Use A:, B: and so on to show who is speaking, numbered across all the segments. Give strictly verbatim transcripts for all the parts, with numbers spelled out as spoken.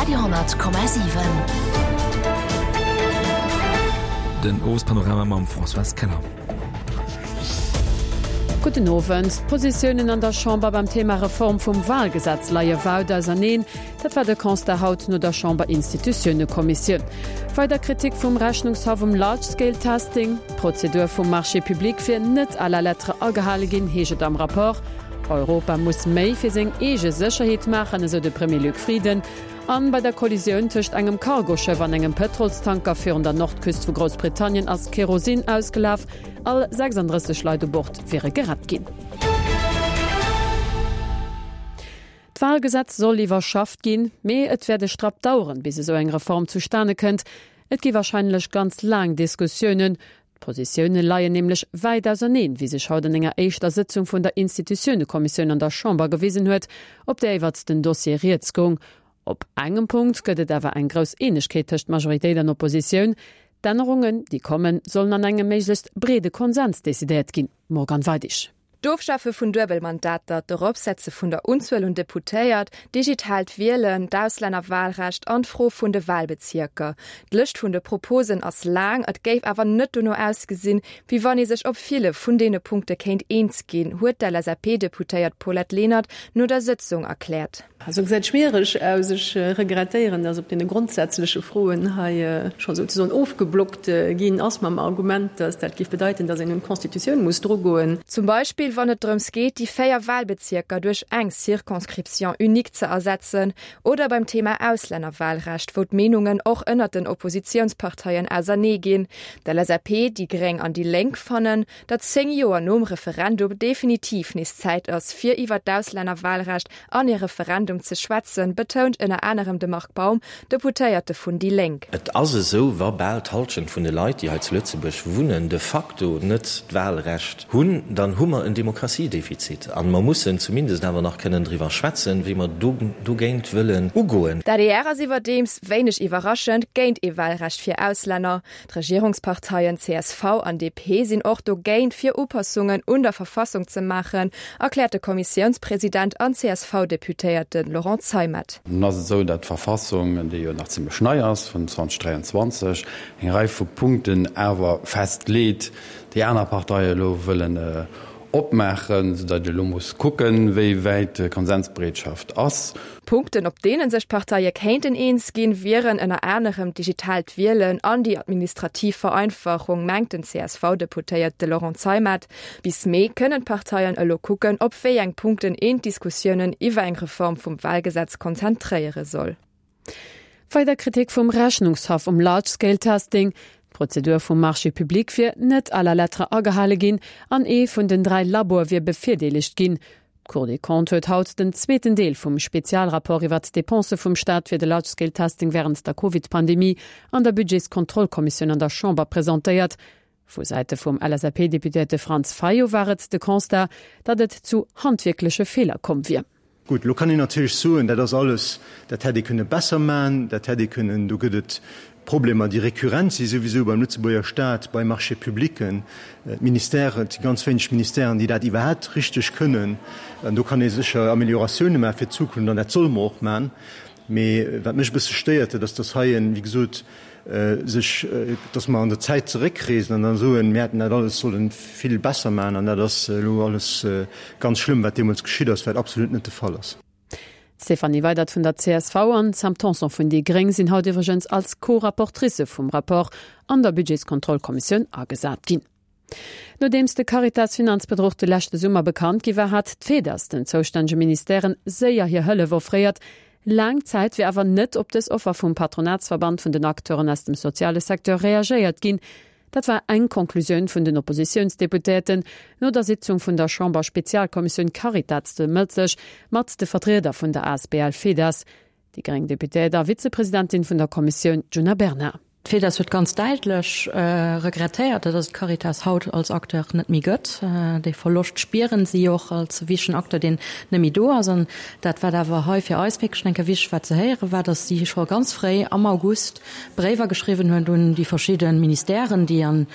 A: Radio honnert Komma siwen.
B: Den Owespanorama mam Françoise Keller.
C: Gudden Owend. D'Positiounen an der Chamber beim Thema Reform vum Wahlgesetz leie wäit auserneen. Dat war de Constat haut no der Chamber-Institutiounekommissioun. Weider Kritik vum Rechnungshaff um Large-Scale-Testing. D'Prozedur vum Marché public wier net à la lettre agehale ginn, heescht et am Rapport. Europa muss méi fir seng eege Sécherheet maachen, esou de Premier Luc Frieden. An bei der Kollisioun tëscht engem Cargoschëff an engem Pëtrolstanker virun der Nordküst vu Groussbritannien ass Kerosin ausgelaf. All sechsanddrësseg Leit u Bord wiere gerett ginn. D'Wahlgesetz soll iwwerschafft ginn, mee et wäert e Strapp daueren, bis esou eng Reform zustane kënnt. Et gi warscheinlech ganz laang Diskussiounen. D'Positioune leien nämlech wäit auserneen, wéi sech haut an enger éischter Sëtzung vun der Institutiounekommissioun an der Chamber gewisen huet, op där iwwert den Dossier rieds goung. Op engem Punkt gëtt et awer eng grouss Eenegkeet tëscht Majoritéit an Oppositioun, D'Ännerungen, déi kommen, sollen an engem méiglechst breede Konsens decidéiert ginn. Morgane Weidig.
D: D'Ofschafe vun Duebelmandater, d'Eropsetze vun der Unzuel un Deputéiert, digitaalt Wielen, d'Auslännerwahlrecht an d'Fro vun de Wahlbezierker. D'Lëscht vun de Proposen ass laang, et géif awer net dono ausgesinn, wéi wann ee sech op ville vun deene Punkte kéint eens ginn, huet d'LSAP-Deputéiert Paulette Lenert no der Sëtzung erkläert.
E: Also gesäit schwiereg aus. Ech regrettéieren, dass op deene grondsätzleche Froen hei scho souzesoen ofgeblockt ginn ass mam Argument, dass dat géif bedeiten, dass een un d'Constitutioun muss drugoen.
D: Zum Beispill wann et drëms geet, déi véier Wahlbezierker duerch eng Circonscription unique ze ersetzen, oder beim Thema Auslännerwahlrecht, wou d'Meenungen och ënnert den Oppositiounsparteien ausernee ginn. D'LSAP, déi Gréng an déi Lénk fannen, datt zéng Joer nom Referendum definitiv nees Zäit ass, fir iwwer d'Auslännerwahlrecht an ee Referendum ze schwätzen, betount ënner anerem de Marc Baum, Deputéierte vun déi Lénk.
F: Et ass esou, wa bal d'Hallschent vun de Leit, déi hei zu Lëtzebuerg wunnen, de facto net d'Wahlrecht hunn, dann hu mer en Demokratiedefizit. A mer mussen zumindest awer nach kënnen driwwer schwätzen, wéi mer dogéint wëllen ugoen.
D: D'adr ass iwwerdeems, wéineg iwwerraschend, géint ee Wahlrecht fir Auslänner. D'Regierungsparteien csv an D P sinn och dogéint, fir Upassungen un der Verfassung ze maachen, erkläert de Kommissiounspresident an C S V-Deputéierte Laurent Zeimet.
G: Nun ass et esou, datt d'Verfassung, déi jo nach zimlech nei ass, vun zweedausend dräianzwanzeg, eng Rei vu Punkten awer festleet, déi aner Parteie elo wëllen opmaachen, soudatt ee elo muss kucken, wéi wäit d'Konsensbereetschaft ass.
D: Punkten, op deene sech d'Parteie kéinten eens ginn, wieren ënner anerem d'digitaalt Wielen an déi administrativ Vereinfachung, mengt den C S V-Deputéierte Laurent Zeimet. Bis Mee kënnen d'Parteien elo kucken, op wéi eng Punkten een d'Diskussiounen iwwer eng Reform vum Wahlgesetz konzentréiere soll.
C: Weider Kritik vum Rechnungshaff um Large-Scale-Testing. D'Prozedur vum Marché public wier net à la lettre agehale ginn an ee vun den dräi Laboe wier bevirdeelegt ginn. D'Cour des Comptes huet haut den zweeten Deel vum Spezialrapport iwwer d'Depensë vum Staat fir de Large-Scale-Testing wärend der Covid-Pandemie an der Budgetskontrollkommissioun an der Chamber presentéiert. Vu Säite vum L S A P-Deputéierte Franz Fayot war et de Constat, datt et zu handwierkleche Feeler komm wier.
H: Gutt, elo kann een natierlech soen, dat ass alles, dat hätt ee kënne besser maachen, dat hätt ee kënnen, do gëtt et Problemer, déi rekurrent si souwisou beim Lëtzebuerger Staat, bei Marchés-publicken, d'Ministèren, et si ganz wéineg Ministèren, déi dat iwwerhaapt richteg kënnen. An do kann ee sécher Amélioratioune maache fir d'Zukunft an dat solle mer och maachen. Mee wat mech e bësse stéiert, dat ass, dass hei, wéi gesot, sech, dass mer an der Zäit zeréckreesen an da soen, mir hätten dat alles solle vill besser maachen an dat ass elo alles ganz schlëmm, wat deemools geschitt ass, wat absolut net de Fall ass.
C: D'Stéphanie Weydert vun der C S V an d'Sam Tanson vun déi Gréng sinn haut iwwregens als Co-Rapportricë vum Rapport an der Budgetskontrollkommissioun agesat ginn. Nodeems de Caritas-Finanzbedruch de leschte Summer bekannt gi war, hat d'FEDAS den zoustännege Ministèren séier hir Hëllef offréiert. Laang Zäit wier awer net op dës Offer vum Patronatsverband vun den Acteuren aus dem soziale Secteur reagéiert ginn. Dat war eng Konklusioun vun den Oppositiounsdeputéierten no der Sitzung vun der Chamber-Spezialkommissioun Caritas de Mëtteg mat de Vertrieder vun der A S B L FEDAS. Déi gréng Deputéiert a Vizepresidentin vun der Kommissioun Djuna Bernard.
I: D'FEDAS huet ganz däitlech regrettéiert, datt et d'Caritas haut als Acteur net méi gëtt. Dee Verloscht spieren si och als wichtegen Acteur, deen net méi do ass. An dat, wat awer hei fir eis wierklech eng Kéier wichteg war ze héieren, war, datt si scho ganz fréi am August Bréiwer geschriwwen hunn un déi verschidde Ministèren, déi an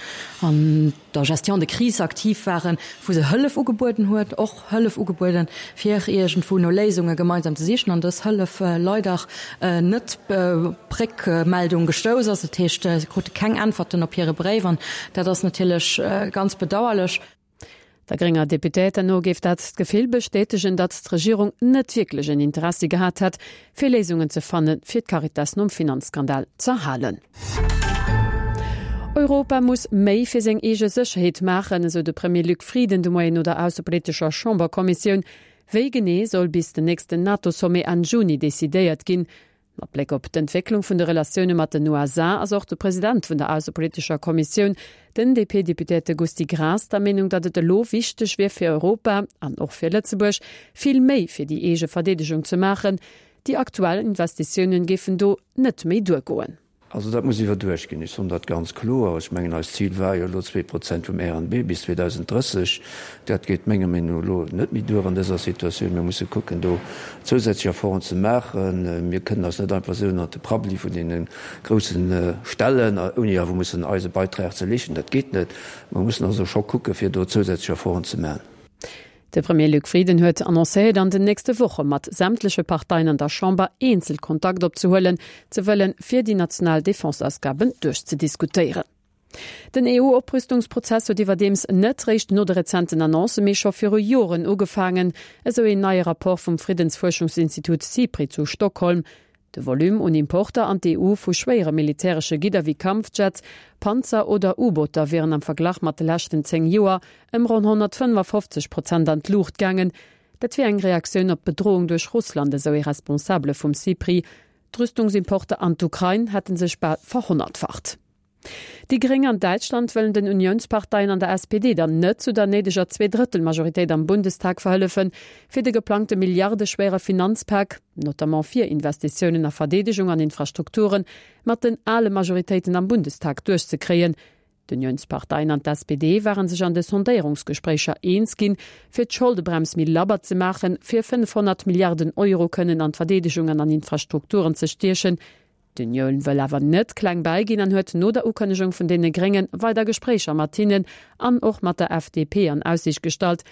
I: an der Gestion de crise aktiv waren, wou se Hëllef ugebueden huet, och Hëllef ugebueden, fir iergendwou no Léisunge gemeinsam ze sichen, an dës Hëllef leider net op Réckmeldung gestouss ass. Dat heescht, se krute keng Äntwerten op hire Bréif an dat ass natierlech ganz bedauerlech.
C: Der grénger Deputéierter no géif dat d'Gefill bestätegen, datt d'Regierung net wierklech en Interessi gehat hätt, fir Léisungen ze fannen, fir d'Caritas nom Finanzskandal z'erhalen. Europa muss méi fir seng eege Sécherheet maachen, esou de Premier Luc Frieden de Moien no der aussepolitescher Chamberkommissioun. Wéi genee soll bis den nächsten NATO-Sommet Enn Juni decidéiert ginn. Mat Bléck op d'Entwécklung vun de Relatioune mat den U S A ass och de President vun der aussepolitescher Kommissioun, den D P-Deputéierte Gusty Graas, der Meenung, datt et elo wichteg wier fir Europa an och fir Lëtzebuerg, vill méi fir déi eege Verdeedegung ze maachen. Déi aktuell Investitiounen géifen do net méi duergoen.
A: Also dat muss iwwerduecht ginn. Ech soen dat ganz kloer. Ech mengen, eist Zil war jo elo zwee Prozent vum R N B bis zweedausenddrësseg. Dat geet menger Meenung no elo net méi duer an dëser Situatioun. Mir musse kucken, do zousätzlech Efforten ze maachen. Mir kënnen eis net einfach esou ënnert de Prabbeli vun deene grousse stellen, ouni awer mussen eise Beitrag ze leeschten. Dat geet net. Mir mussen also scho kucken, fir do zousätzlech Efforten ze maachen.
C: De Premier Luc Frieden huet annoncéiert, an den nächste Woche mat sämtleche Parteien an der Chamber eenzel Kontakt opzehuelen ze wëllen, fir déi national Defenseausgaben duerchzediskutéieren. Den E U-Oprüstungsprozess huet iwwerdeems net réischt no de rezenten Annoncë, mee scho viru Joren ugefaangen, esou een neie Rapport vum Friddensfuerschungsinstitut SIPRI zu Stockholm. De Volume un Importer an d'E U vu schwéiere militäresche Gidder wéi Kampfjets, Panzer oder U-Booter wieren am Verglach mat de leschten zéng Joer ëm ronn honnertfënnefofzeg Prozent an d'Luucht gaangen. Dat wier eng Reaktioun op d'Bedroung duerch Russland, esou ee Responsabele vum SIPRI. D'Rüstungsimporter an d'Ukrain hätten sech bal verhonnertfacht. Déi Gréng an Däitschland wëllen den Unionsparteien an der S P D dann net zu der néideger Zweedrëttelmajoritéit am Bundestag verhëllefen, fir de geplangte milliardeschwere Finanzpak, notamment fir Investitiounen a Verdeedegung an Infrastrukturen, mat den ale Majoritéiten am Bundestag duerchzekréien. D'Unionsparteien an d'S P D waren sech an de Sondéierungsgespréicher eens ginn, fir d'Scholdebremse méi labber ze maachen, fir fënnefhonnert Milliarden Euro kënnen an d'Verdeedegung an an Infrastrukturen ze stiechen. D'Union wëll awer net kleng beiginn an huet no der Ukënnegung vun deene Gréngen weider Gespréicher mat hinnen an och mat der F D P an Aussicht gestallt.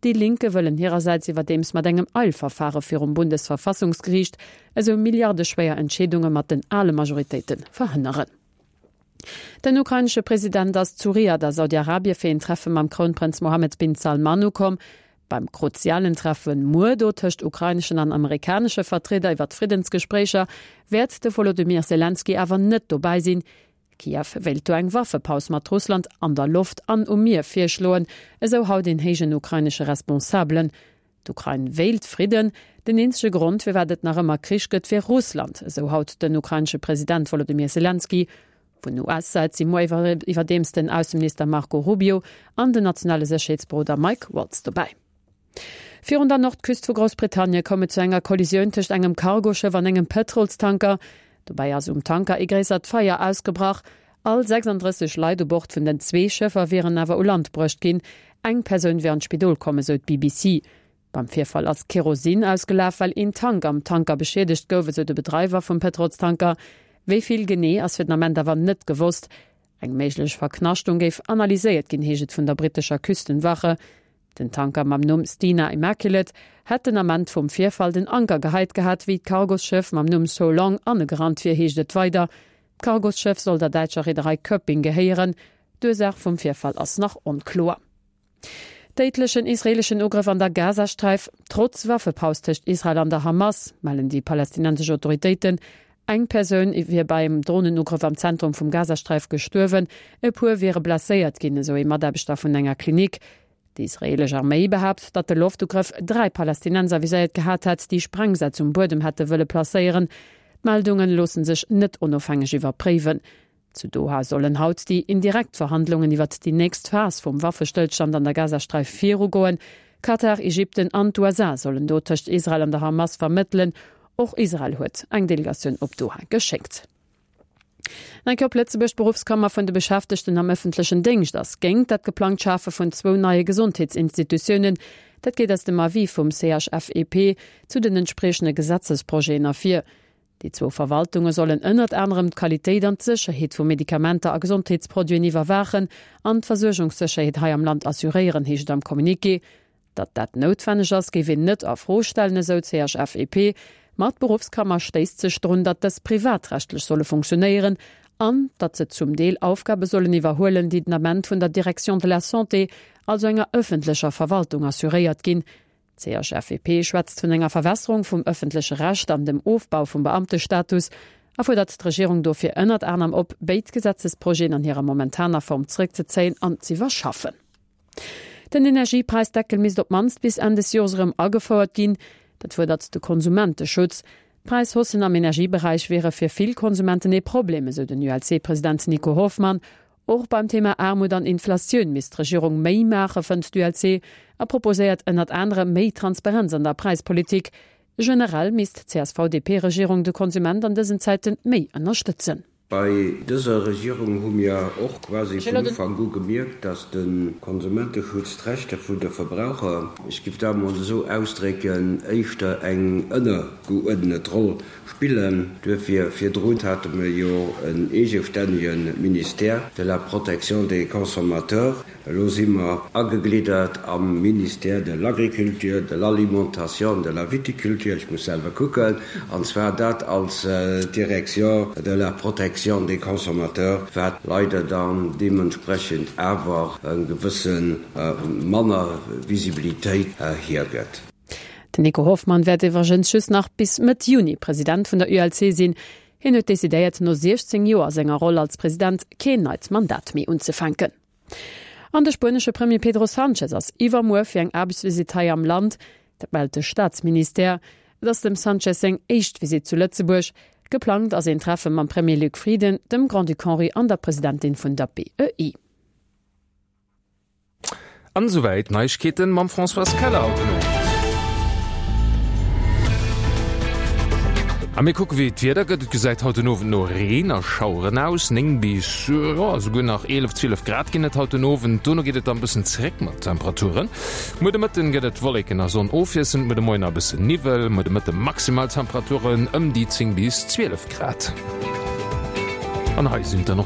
C: Déi Linke wëllen hirersäits iwwerdeems mat engem Eilverfahre virum Bundesverfassungsgericht esou milliardeschwéier Entscheedunge mat den ale Majoritéiten verhënneren. Den ukrainesche President ass zu Riad a Saudi-Arabie fir een Treffe mam Krounprënz Mohammed bin Salman ukomm. Beim kruzialen Treffen muer do tëscht ukraineschen an amerikanesche Vertrieder iwwer d'Friddensgespréicher wäert de Volodymyr Zelensky awer net dobäi sinn. Kiew wéilt do eng Waffepaus mat Russland an der Loft an um Mier virschloen, esou haut den héijen ukrainesche Responsabelen. D'Ukrain wéilt Fridden, den eenzege Grond, firwat et nach ëmmer Krich gëtt, wier Russland, esou haut den ukrainesche President Volodymyr Zelensky. Vun U S-Säit si muer iwwer-, iwwerdeems den Ausseminister Marco Rubio an den nationale Sécherheetsberoder Mike Waltz dobäi. Virun der Nordküst vu Großbritannien koum et zu enger Kollisioun tëscht engem Cargoschëff an engem Pëtrolstanker. Dobäi ass um Tanker ee gréissert Feier ausgebrach. All sechsunddrësseg Leit u Bord vun den zwee Schëffer wieren awer u Land bruecht ginn. Eng Persoun wier an d'Spidol komm, esou d'B B C. Beim Virfall ass Kerosin ausgelaf, well een Tank am Tanker beschädigt gouf, esou de Bedreiwer vum Pëtrolstanker. Wéi vill genee ass fir den Ament awer net gewosst. Eng méiglech Verknaschtung géif analyséiert ginn, heescht et vun der brittescher Küstenwache. Den Tanker mam Numm Stena Immaculate hätt den Ament vum Virfall den Anker geheit gehat, wéi d'Cargoschëff mam Numm So Long anegerannt wier, heescht et weider. D'Cargoschëff soll der däitscher Reederei Köpping gehéieren. D'Ursaach vum Virfall ass nach onkloer. Déidlechen israelischen Ugrëff an der Gazastreif, trotz Waffepaus tëscht Israel an der Hamas, mellen déi palästinensesch Autoritéiten. Eng Persoun wier beim Drohnenugrëff am Zentrum vum Gazastreif gestuerwen, e puer wiere blesséiert ginn, esou ee Mataarbechter vun enger Klinik. Déi israelesch Arméi behaapt, datt de Loftugrëff dräi Palästinenser viséiert gehat hätt, déi Sprengsätz um Buedem hätte wëlle placéieren. D'Meldungen loossen sech net onofhängeg iwwerpréiwen. Zu Doha sollen haut déi indirekt Verhandlungen iwwer déi nächst Phas vum Waffestëllstand an der Gazastreif virugoen. Katar, Ägypten an d'U S A sollen do tëscht Israel an der Hamas vermëttelen. Och Israel huet eng Delegatioun op Doha geschéckt. Eng Kéier op Lëtzebuerg d'Berufskammer vun de Beschäftegten am ëffentlechen Déngscht ass géint dat geplangt Schafe vun zwou neie Gesondheetsinstitutiounen. Dat geet aus dem Avis vum C H F E P zu den entsprechende Gesetzesprojeten ervir. Déi zwou Verwaltunge sollen ënnert anerem d'Qualitéit an d'Sécherheet vu Medikamenter a Gesondheetsproduiten iwwerwaachen an d'Versuergungssécherheet hei am Land assuréieren, heescht et am Communiqué. Datt dat noutwenneg ass, géif een net a Fro stellen, esou d'CHFEP. Ma d'Beruffskammer stéisst sech drun, datt dës privatrechtlech solle funktionéieren an datt se zum Deel Aufgabe sollen iwwerhuelen, déi den Ament vun der Direction de la Santé, also enger ëffentlecher Verwaltung, assuréiert ginn. D'CHFEP schwätzt vun enger Verwässerung vum ëffentleche Recht an dem Ofbau vum Beamtestatus a fuerdert d'Regierung dofir ënnert anerem op, béid Gesetzesprojeten an hirer momentaner Form zréckzezéien an z'iwwerschaffen. Den Energiepräisdeckel misst op d'mannst bis Enn des Jores erëm agefouert ginn. Dat fuerdert de Konsumenteschutz. D'Präishaussen am Energieberäich wiere fir vill Konsumenten ee Problem, esou den ULC-President Nico Hoffmann. Och beim Thema Aarmut an Inflatioun misst d'Regierung méi maachen, fënnt d'ULC a proposéiert ënnert anerem méi Transparenz an der Präispolitik. Generell misst d'CSV-DP-Regierung de Konsument an dësen Zäite méi ënnerstëtzen.
J: Bei dëser Regierung hu mir och quasi vun Ufank u gemierkt, dass de Konsumenteschutz, d'Rechter vun de Verbraucher, ech giff dat emol esou ausdrécken, éischter eng ënnergeuerdnet Roll spillen. Duerfir, virdrun hate mir jo en eegestännege Ministère de la Protection des consommateurs. Elo si mer agegliddert am Ministère de l'Agriculture, de l'Alimentation, de la Viticulture, ech muss selwer kucken, an zwar dat als Direction de la Protection des consommateurs, wat leider dann deementsprechend awer e gewësse manner Visibilitéit hiergëtt.
C: Den Nico Hoffmann wäert iwwregens just nach bis Mëtt Juni President vun der U L C sinn. Hien huet decidéiert, no siechzéng Joer a senger Roll als President keen neit Mandat méi unzefänken. An de spuenesche Premier Pedro Sanchez ass iwwermuer fir eng Aarbechtsvisitt hei am Land. Dat mellt de Staatsministère. Et ass dem Sanchez seng éischt Visitt zu Lëtzebuerg. Geplangt ass een Treffe mam Premier Luc Frieden, dem Grand-Duc Henri an der Presidentin vun der B E I.
K: An esouwäit d'Neiegkeeten mam Françoise Keller haut den Owend. A mir kucke wéi d'Wieder gëtt. Et gesäit haut den Owend no Reen a Schaueren aus. Néng bis, jo, esouguer nach eelef, zwielef Grad ginn et haut den Owend. Dono geet et dann e bëssen zeréck mat Temperaturen. Muer de Mëtten gëtt et Wolleken a Sonn ofwiesselnd, muer de Moien nach e bëssen Niwwel. Muer de Mëtte maximal Temperaturen ëm déi zéng bis zwielef Grad. An hei sinn et dann och.